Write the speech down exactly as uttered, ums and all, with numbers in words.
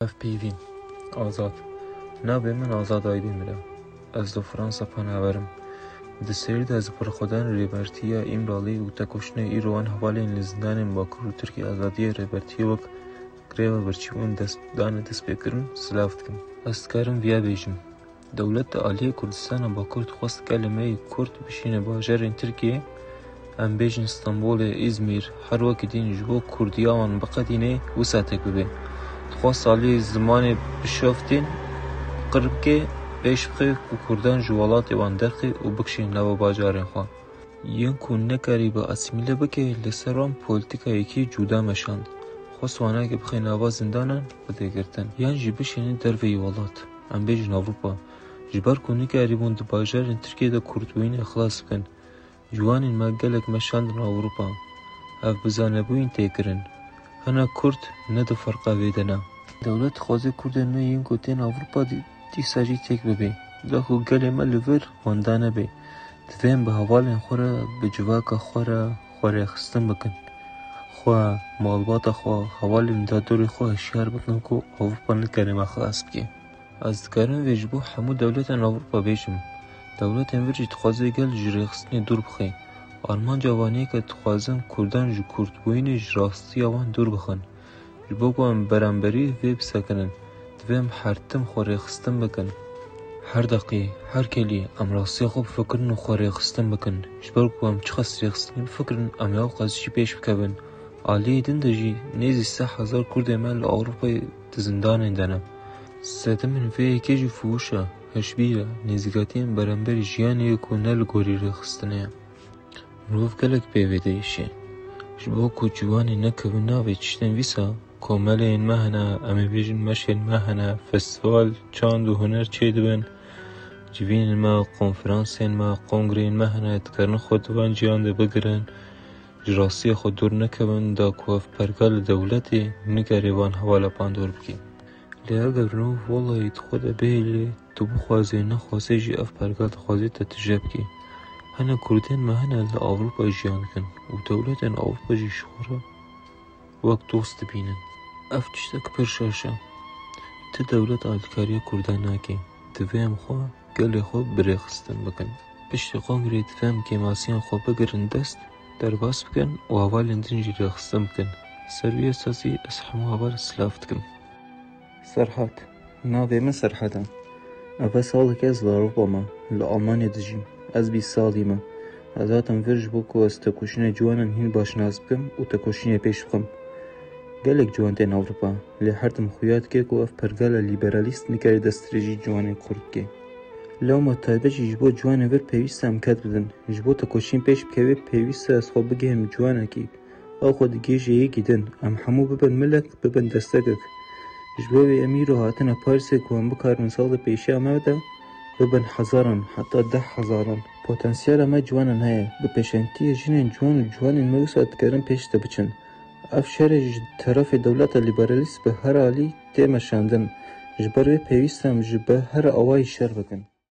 Ev peyvîn. Azad. Navê min Azad Aydemir e. Ez li Fransa penaber im. Di serî de ez bi xwedan rêbertiya Îmralî û tekoşîna îro wan hevalên li zindanên Bakur û Tirkiyê azadiyê rêbertiyê wek greva birçîbûn dest dane destpêkirin silav dikim. Ez dikarim viya bêjim. Dewlet di aliyê Kurdistana Bakur dixwest gelê me yê Kurd bişîne bajarên Tirkiyê, em bêjin Stenbolê, Îzmîr, her wekî din ji bo Kurdiya wan biqedîne wisa têk bibe. Dixwest aliyê zimanê bişoftîn, qir bike, pêş bixe ku Kurdan ji welatê wan derxe û bikişîne nava bajarên xwe. Yên ku nekarîbe asîmîle bike, li ser wan polîtîkayekî cuda meşand. Xwest wanekê bixe nava zindanan bide girtin, yan jî bişîne derveyî welat, em bêjin Ewropa. Ji ber ku nikarîbûn di bajarên Tirkiyê de kurdbûyînê xilas bikin, ciwanên me gelek meşandin Ewropa. Ev bi zanebûyîn tê kirin. Hene Kurd ne di ferqa vê de ne. Dewlet dixwaze Kurdên me yên ku tên Ewropa dî-, dîsa jî têk bibe. Da ku gelê me li vir wenda nebe, divê em bi hevalên xwe re, bi civaka xwe re xwe rêxistin bikin. Xwe, malbata xwe, hevalên dadorê xwe hişyar bikin ku Ewropa nikare me xilas bike. Ez dikarim vê ji bo hemû dewletên Ewropa bêjim. Dewletên vir jî dixwaze gel ji rêxistinê dûr bixe. Armanca wan yek e, dixwazin Kurdan ji Kurdbûyînê ji rastiya wan dûr bixin. Ji bo ku em beramberî vê bisekinin, divê em her tim xwe rêxistin bikin. Her deqî, her kelî em rastiya xwe bifikirin û xwe rêxistin bikin. Ji ber ku em çiqas rêxistinî bifikirin, em ewqas jî pêş bikevin. Aliyê din de jî nêzî sê hezar Kurdên me li Ewropayê di zindanên de ne. Sedemên vê yekê jî fuhûş e, hişbîr e, nêzîkatiyên beramberî jiyanê ye ku ne li gorî rêxistinê ye. Mirov gelek pê vê diêşe. Ji bo ku ciwanê nekevin navê tiştên vîsa, komeleyên me hene, em ê bêjin meşên me hene, festîval, çand û huner çêdibin. Civînên me, konferansên me, kongreyên me hene, dikarin xwe di van ciyan de bigirin. Ji rastiya xwe dûr nekevin, da ku ev pergal li dewletê nikarê van hevala bandor bike. Lê eger mirov welahî di xwe de bihêle, tu bixwazê nexwazê jî ev pergal dixwazê te tije bike. Hene Kurdên me hene li Ewropa jiyan dikin û dewletên Ewropa jî ji xwe re wek dost dibînin. Ev tiştek pir şaş e. Ti dewlet alîkariya Kurdan nake. Divê em xwe, gelê xwe bi rêxistin bikin. Piştî kongreyê divê em kêmasiyan xwe bigirin dest, derbas bikin û hevalên din jî rêxistin bikin. Ser wî esasî ez hemû heval silav dikim. Serhat. Navê min Serhat e. Eve salekê ez li Ewropa me, li Almanya dijîm. Ez bîst salî me. Ez hatim vir ji bo ku ez tekoşîna ciwanan hîn baş nas bikim û tekoşînê pêş bixim. Gelek ciwan tên Ewropa, lê her tim xuya dike ku ev pergala lîberalîst nikare destdirêjî ciwanên Kurd bike. Lewma taybet jî ji bo ciwanên vir pêwîst e em ked bidin. Ji bo tekoşîn pêş bikeve, pêwîst e ez xwe bigihim ciwanekî. Ew xwe digihîje yekî din. Em hemû bibin milek, bibin destekek. Ji bo vê em îro hatine Parîsê ku em bikarin salê pêşiya me de bibin hezaran, heta deh hezaran. Potansiyela me ciwanan heye. Bi pêşengtiyê jinên ciwan û ciwanên me wisa dikarin pêş de biçin. Ev şerê ji terefê dewleta lîberalîst bi her alî tê meşandin. Ji ber wê pêwîst e em ji bi her awayî şer bikin.